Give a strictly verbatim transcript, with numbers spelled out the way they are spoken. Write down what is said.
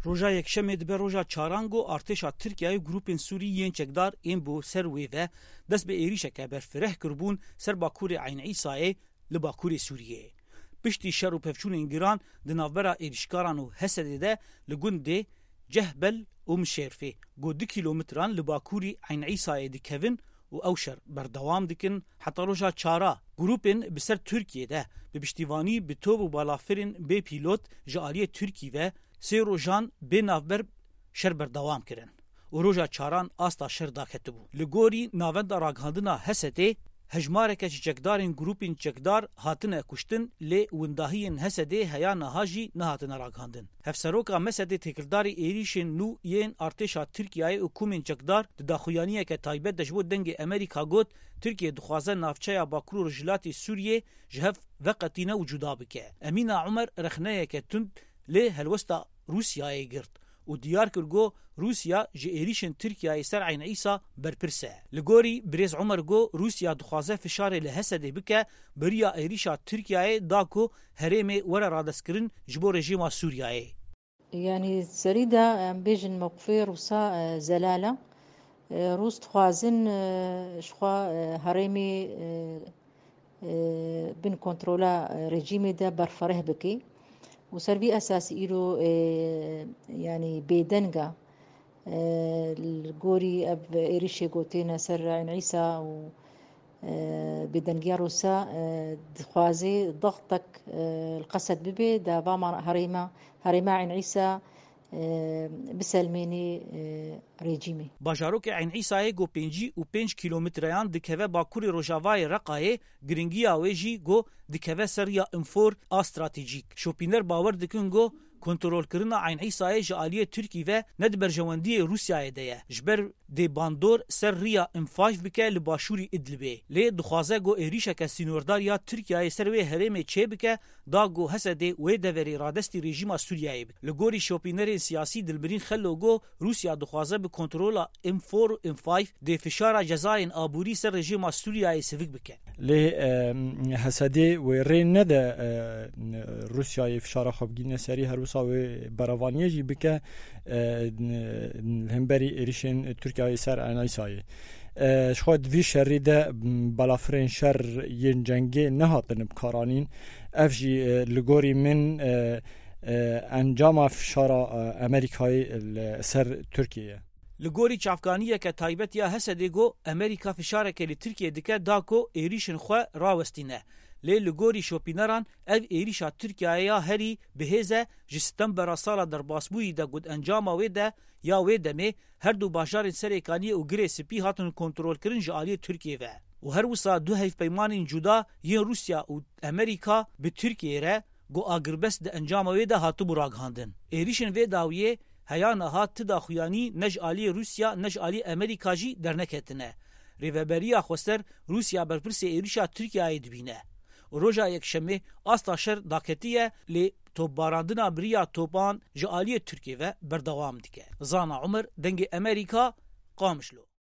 Roja Yekşemê dibe roja çaran ku artêşa Tirkiyeyê grûpên Sûrî yên çekdar ên bo ser wê ve dest bi êrîşeke berfireh kiribûn ser bakurê Eyn Îsayê li bakurê Sûriyeyê. Piştî şer û pevçûnên giran di navbera êrîşkaran û Hesedê de li gundê Cehbel û Mişêrfê ku du kîlometran li bakurî Eyn Îsayê dikevin û ew şer berdewam dikin heta roja çara. Grûpên bi ser Tirkiyê de bi piştîvanî bi top û balafirên bê pîlot ji aliyê Tirkî ve sê rojan bê navber şer berdewam kirin û roja çaran asta şer daketibû. Li gorî Navenda Ragihandina Hesedê, hejmareke ji çekdarên grûpên çekdar hatine kuştin, lê windahiyên Hesedê heya niha jî nehatine ragihandin. Hevseroka Mesedê têkildarî êrîşên nû yên artêşa Tirkiyeyê û komên çekdar di daxuyaniyeke taybet de ji bo Dengê Amerîka got, Tirkiye dixwaze navçeya Bakur û Rojhilatê Sûriyê ji hev veqetîne û cuda bike. Emîna Umer rexneyeke tund lê helwesta Rûsyayê girt û diyar kir ku Rûsya ji êrîşên Tirkiyeyê ser Eyn Îsa berpirs e. Li gorî birêz Umer ku Rûsya dixwaze fişarê li Hesedê bike, bi riya êrîşa Tirkiyeyê da ku herêmê were radestkirin ji bo rejîma Sûriyeyê. Yanî serî de em bêjin mewqifê Rûsa, e, zelal e. E, Rûs dixwazin, e, ji xwe, e, herêmê, e, e, bin kontrola, e, rejîmê de berfireh bike. Û ser vî esasî îro, e, yanî bêdeng e, e, li gorî ev êrîşê ku têne ser Eyn Îsa û, e, bêdengiya Rûsa, e, dixwaze dextek, e, li Qesed bibe, da va ma-, herêma, herêma Eyn Îsa, e, biselmênê, e, rejîmê. Bajarokê Eyn Îsayê ku pêncî û pênc kîlometreyan dikeve bakurê rojavayê Reqayê, giringiya wê jî ku dikeve ser riya înfor a stratejîk. Şopîner bawer dikin ku kontrolkirina Eyn Îsayê ji aliyê Tirkî ve ne di berjewendiyê Rûsyayê de ye. Ji ber dê bandor ser riya înfayf bike li başûrî Idlibê. Lê dixwaze ku êrîşeke sînordar ya Tirkiyeyê ser wê herêmê çêbike, da ku Hesedê wê deverê radestî rejîma Sûriyeyê bike. Li gorî şopînerên siyasî Dilmirîn Xelo ku Rûsya dixwaze bi kontrola înfor û înfayf dê fişara cezayên aborî ser rejîma Sûriyeyê sivik bike. Lê, e, Hesedê wê rê nede, e, Rûsyayê fişara xwe bigîne serî, her wisa wê berevaniyê jî bike, e, li hemberî êrîşên Tirkiyeyê ser Eyn Îsayê. E, ji xwe di vî şerî de, m, balafirên şer yên cengê nehatine bikaranîn. Ev jî, e, li gorî min, e, e, encama fişara, e, Amerîkayê li ser Tirkiye ye. Li gorî çavkaniyeke taybet ya Hesedê ku Amerîka fişareke li Tirkiye dike da ku êrîşên xwe rawestîne. Lê li gorî şopîneran ev êrîşa Tirkiyeyê ya herî bi hêz e, ji Stembera sala derbasbûyî de ku di encama wê de ya wê demê her du bajarên Serêkaniyê û Girê Spî hatin kontrolkirin ji aliyê Tirkiyê ve. Û her wisa du hevpeymanên cuda yên Rûsya û Amerîka bi Tirkiyeyê re ku agirbest di encama wê de hatibû ragihandin. Êrîşên vê dawiyê heya niha ti daxuyanî ne ji aliyê Rûsya ne ji aliyê Amerîka jî derneketine. Rêveberiya Xweser Rûsya berpirsê êrîşa Tirkiyeyê dibîne. Û roja Yekşemê asta şer daketiye, lê topbarandina bi riya topan ji aliyê Tirkiyê ve berdewam dike. Zana Umer, Dengê Amerîka, Qamişlo.